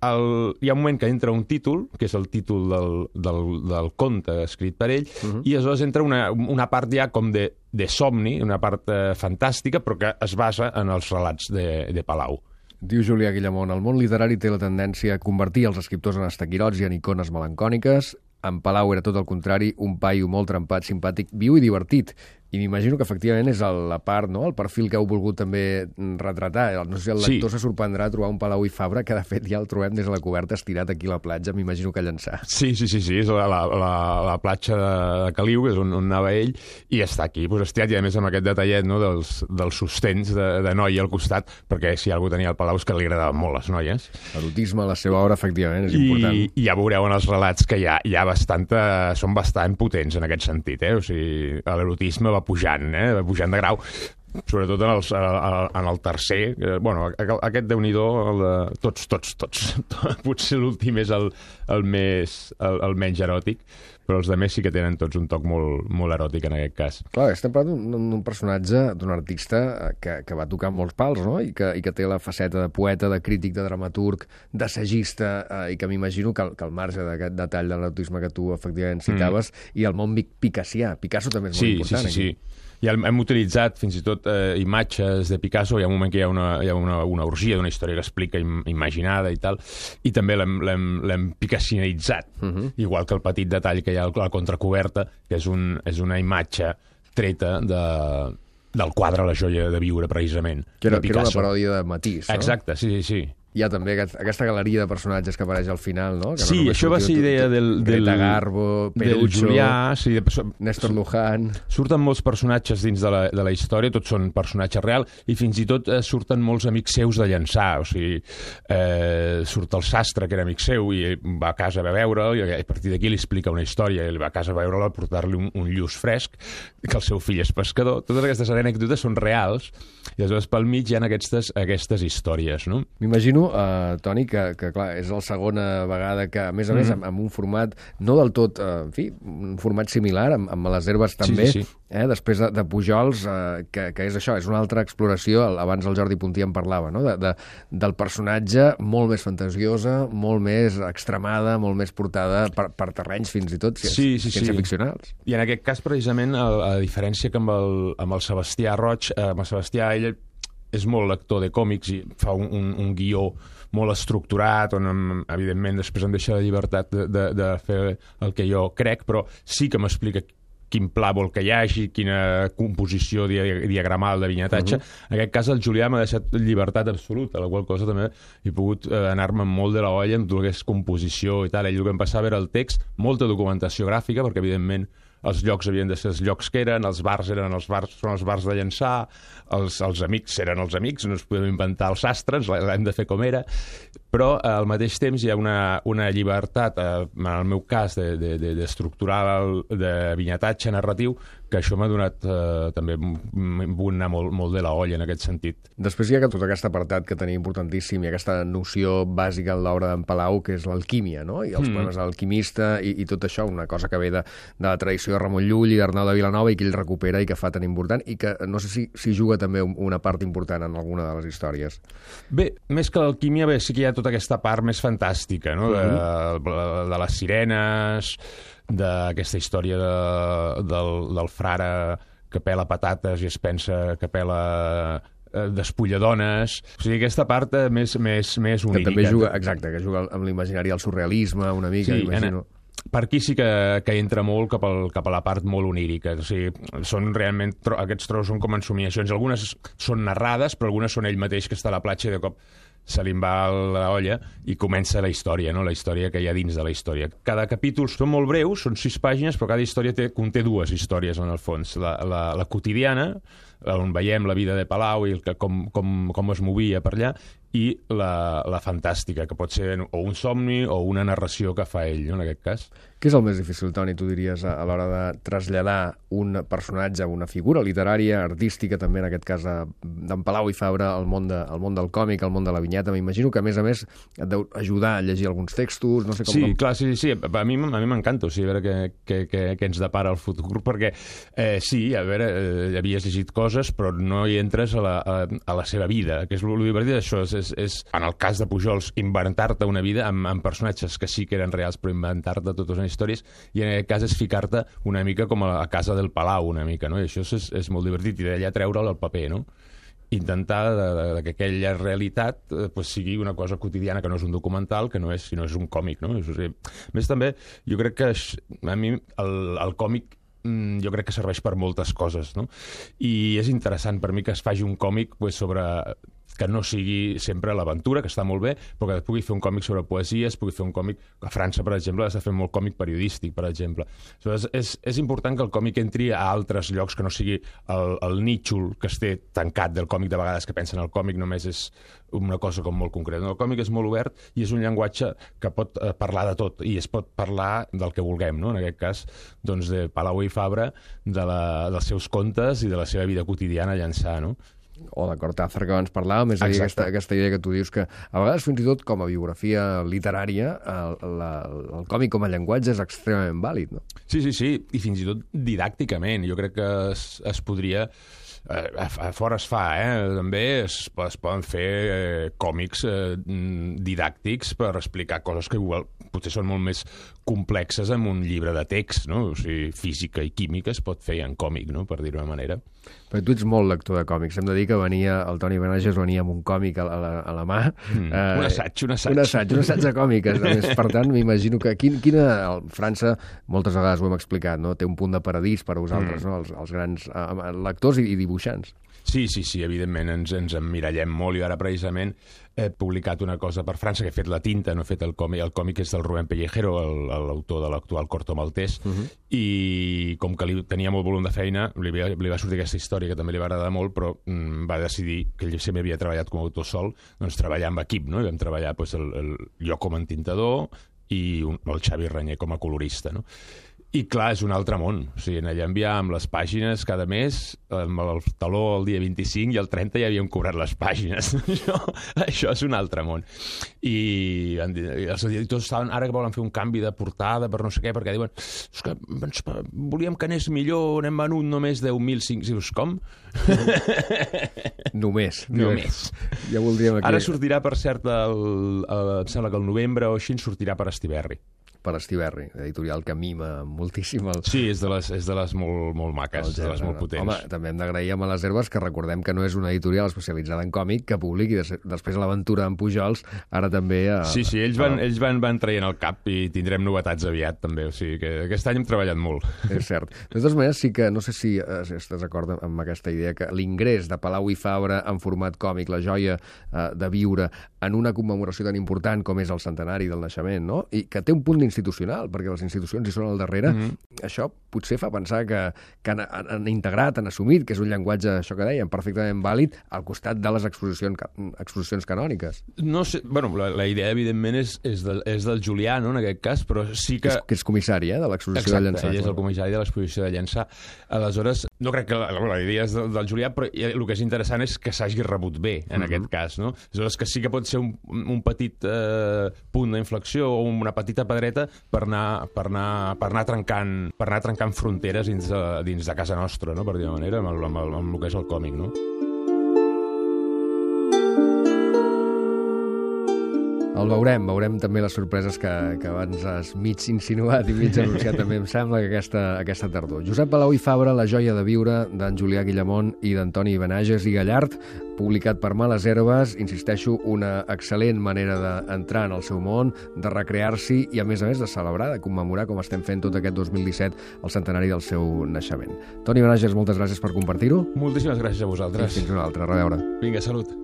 hi ha un moment que entra un títol, que és el títol del conte escrit per ell, i aleshores entra una part ja com de somni, una part fantàstica, però que es basa en els relats de Palau. Diu Julià Guillamón, el món literari té la tendència a convertir els escriptors en estaquirots i en icones melancòniques. En Palau era tot el contrari, un paio molt trempat, simpàtic, viu i divertit. I m'imagino que efectivament és la part, no? El perfil que heu volgut també retratar. No sé si el lector se sorprendrà a trobar un Palau i Fabra, que de fet ja el trobem des de la coberta estirat aquí a la platja, m'imagino que llençar. Sí, és la platja de Caliu, que és on anava ell, i està aquí, estirat, i a més amb aquest detallet, no, dels sostens de noia al costat, perquè si algú tenia el Palau és que li agradaven molt les noies. L'erotisme a la seva obra, efectivament, és important. I ja veureu en els relats que són bastant potents en aquest sentit, O sigui, l'erotisme va pujant de grau, sobretot en el tercer. Bueno, aquest Déu-n'hi-do, tots. Potser l'últim és el menys eròtic, però els altres sí que tenen tots un toc molt eròtic en aquest cas. Clar, estem parlant d'un personatge, d'un artista que va tocar molts pals, no? I que té la faceta de poeta, de crític, de dramaturg, d'assagista, i que m'imagino que al marge d'aquest detall de l'erotisme que tu efectivament citaves, i el món picassià. Picasso també és molt important. Sí. I hem utilitzat fins i tot imatges de Picasso. Hi ha un moment que hi ha una orgia d'una història que explica imaginada i tal, i també l'hem picassianitzat, igual que el petit detall que hi ha a la contracoberta, que és una imatge treta del quadre La joia de viure, precisament. Que era una paròdia de Matisse, no? Exacte, sí. Hi ha també aquesta galeria de personatges que apareix al final, no? Sí, això va ser idea Greta Garbo, Perucho, Julià, Néstor Luján. Surten molts personatges dins de la història, tots són personatges reals, i fins i tot surten molts amics seus de llançar. O sigui, surt el sastre, que era amic seu, i va a casa a veure'l, i a partir d'aquí li explica una història, i va a casa a veure'l, a portar-li un lluç fresc, que el seu fill és pescador. Totes aquestes anècdotes són reals, i aleshores pel mig hi ha aquestes històries, no? M'imagino, Toni, que clar, és la segona vegada que, a més amb un format no del tot, un format similar, amb les herbes també, sí. Després de Pujols, que és això, és una altra exploració, abans el Jordi Puntí en parlava, no? Del personatge molt més fantasiosa, molt més extremada, molt més portada per terrenys fins i tot ciència-ficcionals. I en aquest cas, precisament, a diferència que amb el Sebastià Roig, amb el Sebastià, ell és molt lector de còmics i fa un guió molt estructurat, on, evidentment, després em deixa la llibertat de fer el que jo crec, però sí que m'explica quin pla vol que hi hagi, quina composició diagramal de vinyetatge. En aquest cas, el Julià m'ha deixat llibertat absoluta, la qual cosa també he pogut anar-me molt de la olla amb tot el que és composició i tal. Ell el que em passava era el text, molta documentació gràfica, perquè, evidentment, els llocs havien de ser els llocs que eren, els bars són els bars de llançar, els amics eren els amics, no ens podem inventar els sastres, l'hem de fer com era, però al mateix temps hi ha una llibertat, en el meu cas, d'estructurar de vinyetatge narratiu, que això m'ha donat també, m'he pogut anar molt de la olla en aquest sentit. Després hi ha tot aquest apartat que tenia importantíssim i aquesta noció bàsica en l'obra d'en Palau, que és l'alquímia, no? I els poemes de l'alquimista i tot això, una cosa que ve de la tradició de Ramon Llull i d'Arnau de Vilanova i que ell recupera i que fa tan important i que no sé si juga també una part important en alguna de les històries. Bé, més que l'alquímia, sí que hi ha tota aquesta part més fantàstica, no? De les sirenes, d'aquesta història del frare que pela patates i es pensa que pela despulladones. O sigui, aquesta part més onírica. Que també juga, exacte, que juga amb l'imaginari, el surrealisme, una mica, imagino. Per aquí sí que entra molt cap a la part molt onírica. O sigui, són realment, aquests trossos són com ensomiacions. Algunes són narrades, però algunes són ell mateix que està a la platja i de cop se li va la olla i comença la història, no? La història que hi ha dins de la història. Cada capítol són molt breus, són 6 pàgines, però cada història conté 2 històries en el fons. La quotidiana, on veiem la vida de Palau i com es movia per allà, i la fantàstica, que pot ser o un somni o una narració que fa ell, no, en aquest cas. Què és el més difícil, Toni, tu diries, a l'hora de traslladar un personatge, una figura literària, artística, també en aquest cas d'en Palau i Fabra, al món del còmic, al món de la vinyeta? M'imagino que, a més, et deu ajudar a llegir alguns textos, no sé com... Sí, clar, sí. A mi m'encanta, a veure què ens depara el futur, perquè sí, a veure, havies llegit coses, però no hi entres a la seva vida, que és el divertit d'això, és, en el cas de Pujols, inventar-te una vida amb personatges que sí que eren reals, però inventar-te totes unes històries, i en aquest cas és ficar-te una mica com a casa del Palau, una mica, no? I això és molt divertit, i d'allà treure'l al paper, no? Intentar que aquella realitat sigui una cosa quotidiana, que no és un documental, que no és, sinó és un còmic, no? A més, també, jo crec que a mi el còmic jo crec que serveix per moltes coses, no? I és interessant per mi que es faci un còmic sobre... que no sigui sempre l'aventura, que està molt bé, però que pugui fer un còmic sobre poesia, es pugui fer un còmic... A França, per exemple, s'ha fet molt còmic periodístic, per exemple. És important que el còmic entri a altres llocs, que no sigui el nítxol que es té tancat del còmic, de vegades que pensen el còmic només és una cosa com molt concreta. El còmic és molt obert i és un llenguatge que pot parlar de tot, i es pot parlar del que vulguem, no? En aquest cas, doncs, de Palau i Fabra, dels seus contes i de la seva vida quotidiana a Llançà, no? O de Cortázar, que abans parlàvem, és a dir, aquesta idea que tu dius que a vegades fins i tot com a biografia literària el còmic com a llenguatge és extremament vàlid, no? Sí, i fins i tot didàcticament. Jo crec que es podria... A fora es fa, també es poden fer còmics didàctics per explicar coses que igual potser són molt més complexes en un llibre de text, no? O sigui, física i química es pot fer en còmic, no? Per dir-ho d'una manera. Però tu ets molt lector de còmics. Hem de dir que el Toni Benages venia amb un còmic a la mà. Un assaig. Un assaig de còmic. A més, per tant, m'imagino que França, moltes vegades ho hem explicat, no? Té un punt de paradís per a vosaltres, no? Els grans lectors i dibuixants. Sí, evidentment, ens emmirallem molt, i ara precisament he publicat una cosa per França, que he fet la tinta, no he fet el còmic és del Rubén Pellejero, l'autor de l'actual Corto Maltès, i com que tenia molt volum de feina, li va sortir aquesta història que també li va agradar molt, però va decidir que ell sempre havia treballat com a autor sol, doncs treballar amb equip, no? I vam treballar jo com a entintador i el Xavi Ranyer com a colorista, no? I clar, és un altre món. O sigui, allà enviàvem les pàgines cada mes, amb el taló el dia 25 i el 30 ja havíem cobrat les pàgines. Això és un altre món. I els editors estaven, ara que volen fer un canvi de portada per no sé què, perquè diuen és que volíem que anés millor, n'hem venut només 10.005. Dius, com? Només. Ja voldríem aquí. Ara sortirà, per cert, em sembla que el novembre o així sortirà per Estiberri. Per Estiberri, editorial que mima moltíssim Sí, és de les molt maques, de les molt potents. Home, també hem d'agrair a les Herbes, que recordem que no és una editorial especialitzada en còmic, que publiqui després l'aventura en Pujols, ara també... Sí, ells van traient el cap i tindrem novetats aviat, també. O sigui que aquest any hem treballat molt. És cert. De totes maneres, sí que, no sé si estàs d'acord amb aquesta idea, que l'ingrés de Palau i Fabra en format còmic, la joia de viure en una commemoració tan important com és el centenari del naixement, no? I que té un punt institucional, perquè les institucions hi són al darrere, això potser fa pensar que han integrat, han assumit que és un llenguatge, això que dèiem, perfectament vàlid al costat de les exposicions canòniques. No sé, bueno, la idea, evidentment, és del Julià, no?, en aquest cas, però sí que... Que és comissari, de l'exposició de Llançà. Exacte, ell és el comissari de l'exposició de Llançà. Aleshores, no crec que la idea és del Julià, però el que és interessant és que s'hagi rebut bé, en aquest cas, no? Aleshores, que sí que pot ser un petit punt d'inflexió o una petita pedreta per anar trencant fronteres dins de casa nostra, no?, per dir-ho manera, amb el que és el còmic, no? El veurem també les sorpreses que abans has mig insinuat i mig anunciat també, em sembla, que aquesta tardor. Josep Palau i Fabra, La joia de viure, d'en Julià Guillamont i d'Antoni Benages i Gallart, publicat per Males Herbes, insisteixo, una excel·lent manera d'entrar en el seu món, de recrear-s'hi i, a més, de celebrar, de commemorar, com estem fent tot aquest 2017, el centenari del seu naixement. Toni Benages, moltes gràcies per compartir-ho. Moltíssimes gràcies a vosaltres. I fins una altra. A reveure. Vinga, salut.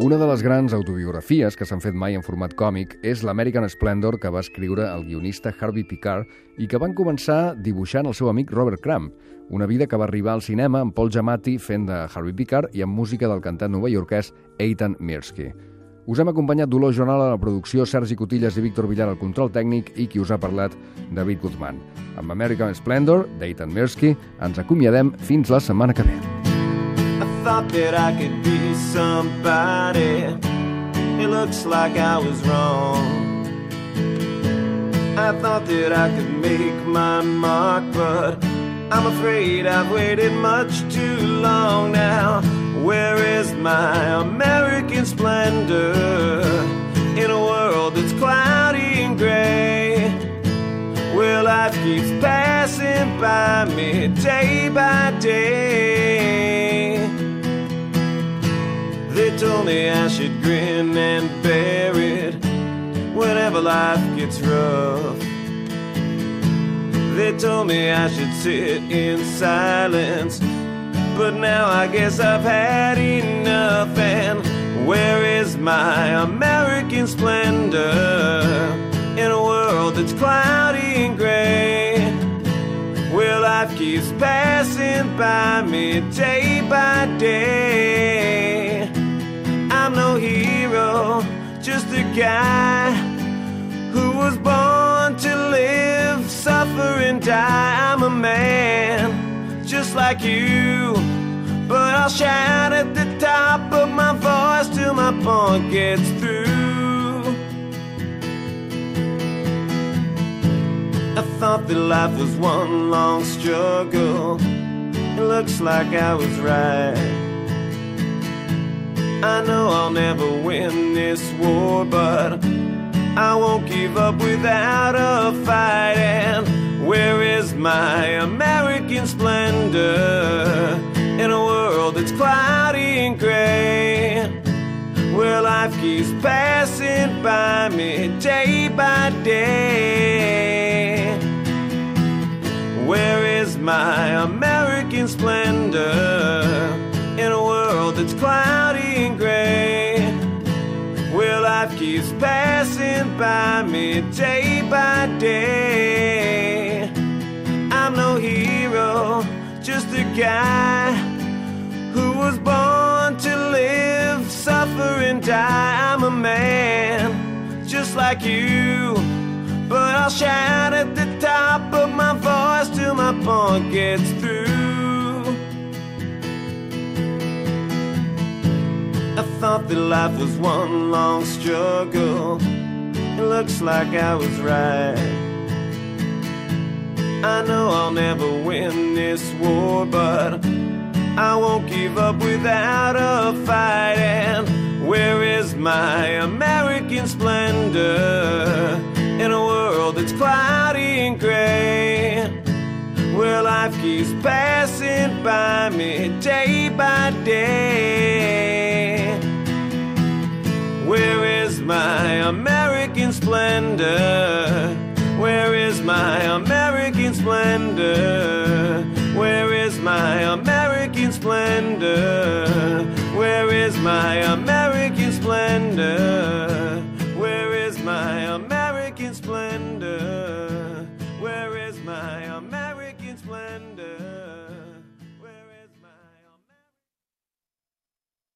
Una de les grans autobiografies que s'han fet mai en format còmic és l'American Splendor que va escriure el guionista Harvey Pekar i que van començar dibuixant el seu amic Robert Crumb, una vida que va arribar al cinema amb Paul Giamatti fent de Harvey Pekar i amb música del cantant novaiorquès Eitan Mirsky. Us hem acompanyat Dolors Jonal a la producció, Sergi Cotillas i Víctor Villar al control tècnic i qui us ha parlat, David Guzmán. Amb American Splendor, d'Eitan Mirsky, ens acomiadem fins la setmana que ve. I thought that I could be somebody. It looks like I was wrong. I thought that I could make my mark, but I'm afraid I've waited much too long now. Where is my American splendor in a world that's cloudy and gray? Where life keeps passing by me day by day. They told me I should grin and bear it whenever life gets rough. They told me I should sit in silence, but now I guess I've had enough. And where is my American splendor in a world that's cloudy and gray? Where life keeps passing by me day by day. I'm no hero, just a guy who was born to live, suffer and die. I'm a man, just like you, but I'll shout at the top of my voice till my point gets through. I thought that life was one long struggle. It looks like I was right. I know I'll never win this war, but I won't give up without a fight. And where is my American splendor in a world that's cloudy and gray? Where life keeps passing by me day by day. Where is my American splendor in a world that's cloudy and gray? Where life keeps passing by me day by day. I'm no hero, just a guy who was born to live, suffer and die. I'm a man, just like you, but I'll shout at the top of my voice till my point gets through. I thought that life was one long struggle. It looks like I was right. I know I'll never win this war, but I won't give up without a fight. And where is my American splendor in a world that's cloudy and gray? Where life keeps passing by me day by day. Where is my American splendor? Where is my American splendor? Where is my American splendor? Where is my American splendor? Where is my American splendor? Where is my American splendor?